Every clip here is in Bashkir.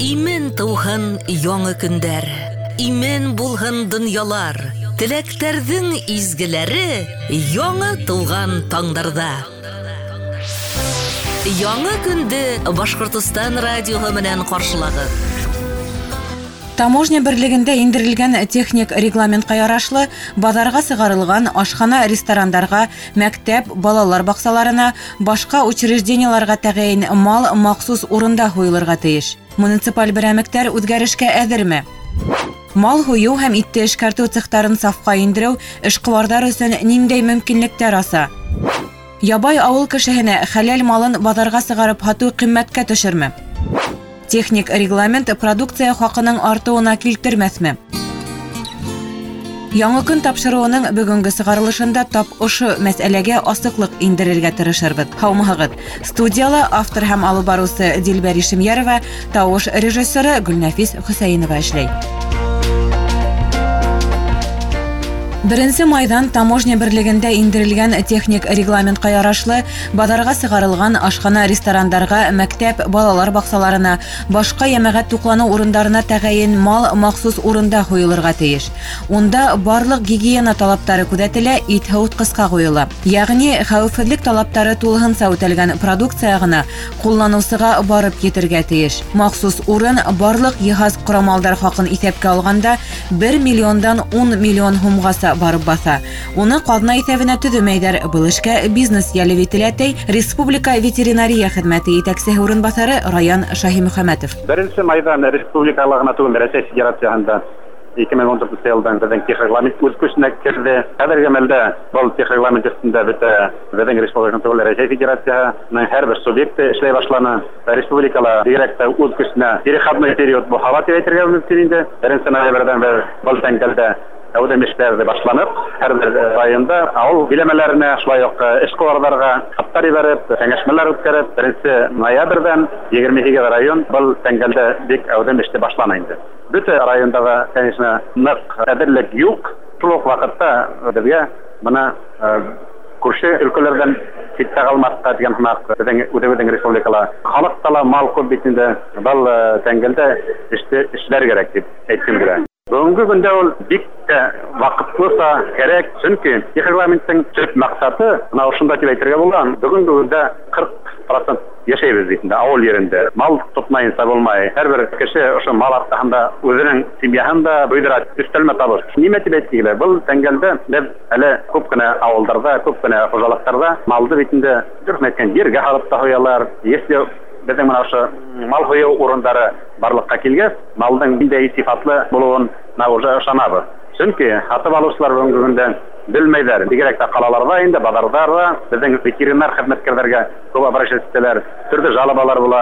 Имен тыуһын яңы көндәр, имен булһын донъялар, теләктәрҙең изгеләре яңы тыуған таңдарҙа. Яңы көндө Башҡортостан радиоһы менән ҡаршылағыҙ. Таможня берлегендә индерелгән техник регламентҡа ярашлы баҙарға сығарылған ашхана, ресторандарға, мәктәп, балалар баҡсаларына, башҡа учреждениеларға тәғәйен мал махсус урында һуйылырға тейеш. Муниципаль берәмектәр үҙгәрешкә әҙерме? Мал һуйыу һәм итте эшкәртеү цехтарын сафҡа индереү эшҡыуарҙар өсөн ниндәй мөмкинлектәр аса? Ябай ауыл кешеһенә хәләл малын баҙарға сығарып һатыу ҡиммәткә төшөрмө? Техник регламент продукция хаҡының артыуына килтермәҫме? Яңы көн тапшырыуының бөгөнгө сығарылышында тап ошо мәсьәләгә асыҡлыҡ индерергә тырышырбыҙ. Һаумыһығыҙ! Студияла автор һәм алып барыусы Дилбәр Ишемйәрова, тауыш режиссеры Гөлнәфис Хөсәйенова эшләй. 1 майҙан таможня берлегендә индерелгән техник регламентҡа ярашлы баҙарға сығарылған ашхана, ресторандарға, мәктәп, балалар баҡсаларына, башҡа йәмәғәт туҡланыу урындарына тәғәйен мал махсус урында һуйылырға тейеш. Унда барлыҡ гигиена талаптары күҙәтелә, ит һыуытҡысҡа ҡуйыла. Йәғни хәүефһеҙлек талаптары тулыһынса үтәлгән продукция ғына ҡулланыусыға барып етергә тейеш. Махсус урын барлыҡ йыһаз ҡорамалдар хаҡын иҫәпкә алғанда 1 миллиондан 10 миллион һумғаса барып баҫа. Уны ҡаҙна иҫәбенә төҙөмәйҙәр. Был эшкә бизнес йәлеп ителә, ти Республика ветеринария хеҙмәте етәксеһе урынбаҫары Раян Шаһимөхәмәтов. 1 майҙан республикала ғына түгел, Рәсәй Федерацияһында 2014 йылдан беҙҙең техрегламент үҙ көсөнә керҙе. Хәҙерге мәлдә был техрегламент өҫтөндә бөтә беҙҙең республика түгел, Рәсәй Федерацияһының һәр бер субъекты эшләй башланы. Республикала бигерәк тә үҙ көсөнә переходной период буһала тип әйтергә мөмкин инде. 1 ноябрҙән бер был тәңгәлдә әүҙем эштәрҙе башланып, һәр бер районда ауыл биләмәләренә, шулай уҡ эшҡыуарҙарға хаттар ебәреп, кәңәшмәләр үткәреп, 1 ноябрҙән 28 район был тәңгәлдә бик әүҙем эште башлана инде. Бөтә районда ла, конечно, ныҡ әҙерлек юҡ. Шул уҡ ваҡытта беҙгә бына күрше өлкәләрҙән ситтә ҡалмаҫҡа тигән һымаҡ беҙҙең үҙебеҙҙең республикала халыҡта ла мал күп бит инде, был тәңгәлдә эште эшләр кәрәк тип әйткем килә. Бөгөнгө көндә ул бик тә ваҡытлыса кәрәк, сөнки регламенттың төп маҡсаты бына ошонда тип әйтергә була. Бөгөнгө көндә 40% йәшәйбеҙ бит инде ауыл ерендә. Мал тотмайынса булмай. Һәр бер кеше ошо мал арҡаһында үҙенең семьяһын да буйҙыра, өҫтәлмә табыш. Нимә тип әйтке килә? Был тәңгәлдә беҙ әле күп кенә ауылдарҙа, күп кенә хужалыҡтарҙа малды бит инде дөрөҫ әйткән ергә һалып та һуялар. Если беҙҙең бына ошо мал һуйыу урындары барлыҡҡа килгәс, малдың ниндәй сифатлы булыуын уже ышанабыҙ. Сөнки һатып алыусылар бөгөнгө көндә белмәйҙәр. Бигерәк тә ҡалаларҙа инде, баҙарҙарҙа беҙҙең ветеринар хеҙмәткәрҙәргә күп обращаться итәләр, төрлө жалобалар була.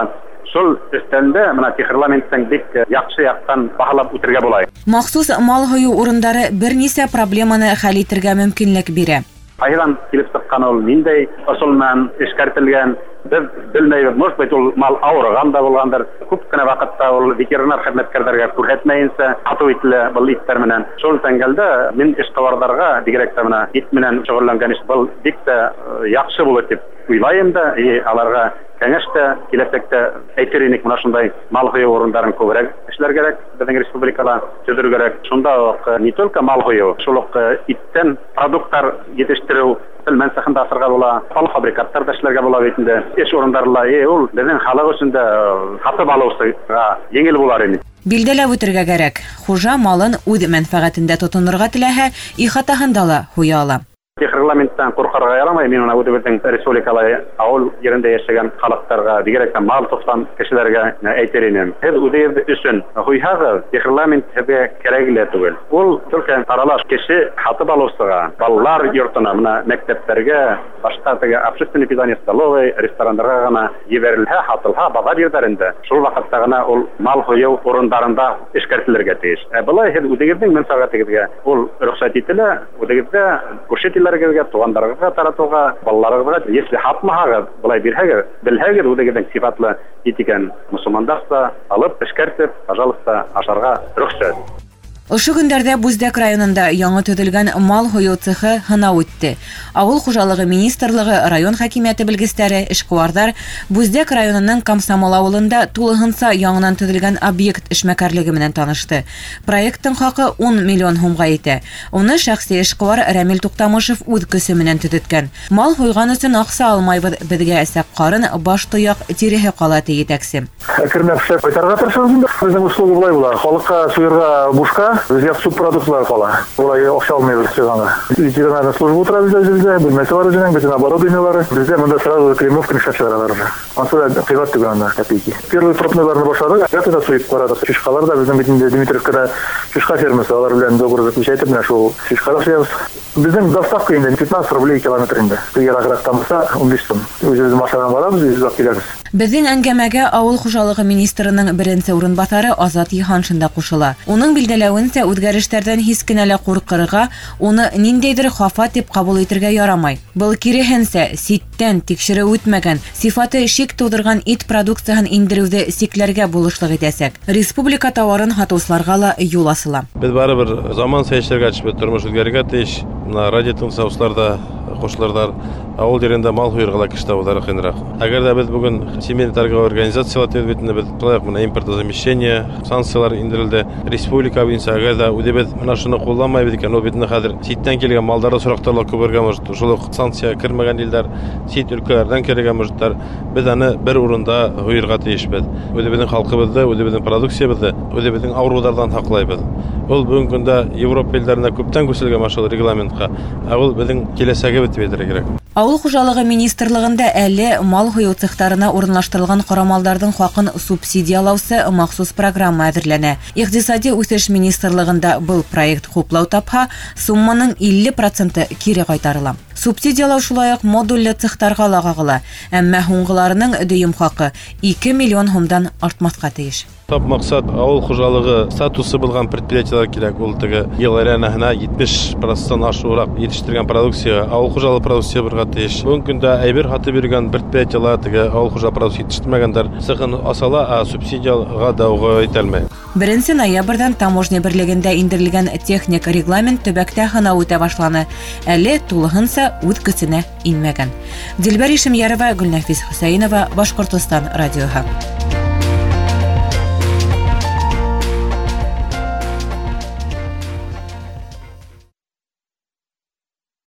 Шул өҫтәндә бына техрегламенттың бик яҡшы яҡтан баһалап үтергә була. Махсус мал һуйыу урындары бер нисә проблеманы хәл итергә мөмкинлек бирә. Ҡайҙан килеп сыҡҡан ул, ниндәй ысул менән эшкәртелгән, беҙ белмәйбеҙ. Может быть, ул мал ауырыған да булғандыр. Күп кенә ваҡытта ул ветеринар хеҙмәткәрҙәргә күрһәтмәйенсә һатыу ителә был иттәр менән. Шул тәңгәлдә мин эшҡыуарҙарға, бигерәк тә бына ит менән шөғөлләнгән эш был бик тә яҡшы булыр тип уйлайым да, и аларға кәңәш тә киләсәктә әйтер инек, бына шундай мал һуйыу урындарын күберәк эшләр кәрәк, беҙҙең республикала төҙөр кәрәк. Шунда уҡ не только мал һуйыу, шул уҡ иттән продукттар етештереү пелмән цехында асырға була, полуфабрикаттар ҙа эшләргә була бит инде. Эш урындары ла, ул беҙҙең халыҡ өсөн дә һатып алыусыға еңел булар ине. Билдәләп үтергә кәрәк, хужа малын үҙ мәнфәғәтендә тотонорға теләһә, ихатаһында ла һуя ала. Техрегламенттан ҡурҡырға ярамай. Мин уны үҙебеҙҙең республикала ауыл ерендә йәшәгән халыҡтарға, бигерәк тә мал тотҡан кешеләргә әйтер инем. Һеҙ үҙегеҙ өсөн һуйһағыҙ, техрегламент һеҙгә кәрәге лә түгел. Ул только аралаш кеше һатып алыусыға, балалар йортона, бына мәктәптәргә, башҡа теге общественный питание столовый, ресторандарға ғына ебәрелһә, һатылһа баҙар ерҙәрендә, шул ваҡытта ғына ул мал һуйыу урындарында эшкәртелергә тейеш. Ә былай һеҙ үҙегеҙҙең мәнфәғәтегеҙгә ул рөхсәт ителә, үҙегеҙгә, күрше тирәләрегеҙгә, туғандарығыҙға таратыуға, балаларығыҙға. Если һатмаһағыҙ, былай бирһәгеҙ, белһәгеҙ үҙегеҙҙең сифатлы ит икән, мосолмандарса алып, эшкәртеп, пожалуйста, ашарға рөхсәт. Ошо көндәрҙә Буздәк районында яңы төҙөлгән мал һуйыу цехы һынау үтте. Ауыл хужалығы министрлығы, район хакимиәте белгестәре, эшҡыуарҙар Буздәк районының Комсомол ауылында тулыһынса яңынан төҙөлгән объект эшмәкәрлеге менән танышты. Проекттың хаҡы 10 миллион һумға етә. Уны шәхси эшҡыуар Рәмил Туҡтамышев үҙ көсө менән төҙөткән. Мал һуйған өсөн аҡса алмайбыҙ, беҙгә әсәк ҡарын, баш тояҡ, тиреһе ҡала, ти етәксе. Әкренләп эшләп ҡайтарырға тырышабыҙ инде. Беҙҙең услуга былай була. Халыҡҡа суйырға бушҡа, беҙгә субпродуктлар ҡала. Улай аҡса алмайбыҙ суйғанға. Ветеринарная служба ултыра беҙҙә үҙебеҙҙә, бүлмәсе бар үҙенең, бөтөн оборудованиелары. Беҙҙә бында сразу кремовка эшләп сығаралар уже. Ансы да ҡыйбат түгел анда, копейки. Первый пробныйларны башланыҡ, да суйып ҡараҙыҡ. Шишҡалар ҙа беҙҙең бит инде Дмитриевкада шишҡа фермасы, алар белән договор заключать итеп, менә шул шишҡа да суябыҙ. Беҙҙең доставка инде 15 рублей километр инде. Йырағыраҡтан булһа 15 һум. Үҙебеҙ машинаға барабыҙ, үҙебеҙ алып киләбеҙ. Беҙҙең әңгәмәгә ауыл хужалығы министрының беренсе урынбаҫары Азат Йыһаншин да ҡушыла. Уның билдәләүенсә, үҙгәрештәрҙән һис кенә лә ҡурҡырға, уны ниндәйҙер хафа тип ҡабул итергә ярамай. Был киреһенсә, ситтән тикшереү үтмәгән, сифаты шик тыуҙырған ит продукцияһын индереүҙе сикләргә булышлыҡ итәсәк. Республика тауарын һатыусыларға ла юл асыла. Беҙ барыбер заманса йәшәргә тейешбеҙ, тормош үҙгәрергә тейеш. Бына радио тыңлаусылар да ҡушылырҙар. Ауыл ерендә мал һуйырға ла кеше табыуҙары ҡыйыныраҡ. Әгәр ҙә беҙ бөгөн Всемирный торговая организацияла тибеҙ бит инде, беҙ шулай уҡ бына импортозамещение, санкциялар индерелде республика буйынса. Әгәр ҙә үҙебеҙ бына шуны ҡулланмайбыҙ икән, ул бит инде хәҙер ситтән килгән малдарҙы сораҡтар ла күбергә может, шул уҡ санкция кермәгән илдәр, сит өлкәләрҙән керергә можеттар. Беҙ аны бер урында һуйырға тейешбеҙ. Үҙебеҙҙең халҡыбыҙҙы, үҙебеҙҙең продукциябыҙҙы, үҙебеҙҙең ауырыуҙарҙан һаҡлайбыҙ. Ул бөгөнгө көндә Европа илдәрендә күптән күселгән шул регламентҡа. Ә ул беҙҙең киләсәгебеҙ тип әйтергә кәрәк. Ауыл хужалығы министрлығында әле мал һуйыу цехтарына урынлаштырылған ҡорамалдарҙың хаҡын субсидиялаусы махсус программа әҙерләнә. Иҡтисади үҫеш министрлығында был проект хуплау тапһа, сумманың 50% кире ҡайтарыла. Субсидиялау шулай уҡ модулле цехтарға ла ҡағыла, әммә һуңғыларының дөйөм хаҡы 2 миллион һумдан артмаҫҡа тейеш. Тап маҡсат ауыл хужалығы статусы булған предприятиелар кәрәк. Ул теге йыл әйләнәһенә 70% ашыуыраҡ етештергән продукция, ауыл хужалығы продукция булырға тейеш. Бөгөнгө көндә әйбер һатып йөрөгән предприятиелар теге ауыл хужалығы продукция етештермәгәндәр цехын асала, ә субсидияға да уға ителмәй. 1 ноябрҙән таможня берлегендә индерелгән техник регламент төбәктә һынау үтә башланы. Әле тулыһынса үҙ көсөнә инмәгән. Дилбәр Ишемйәрова, Гөлнәфис Хөсәйенова, Башҡортостан радиоһы.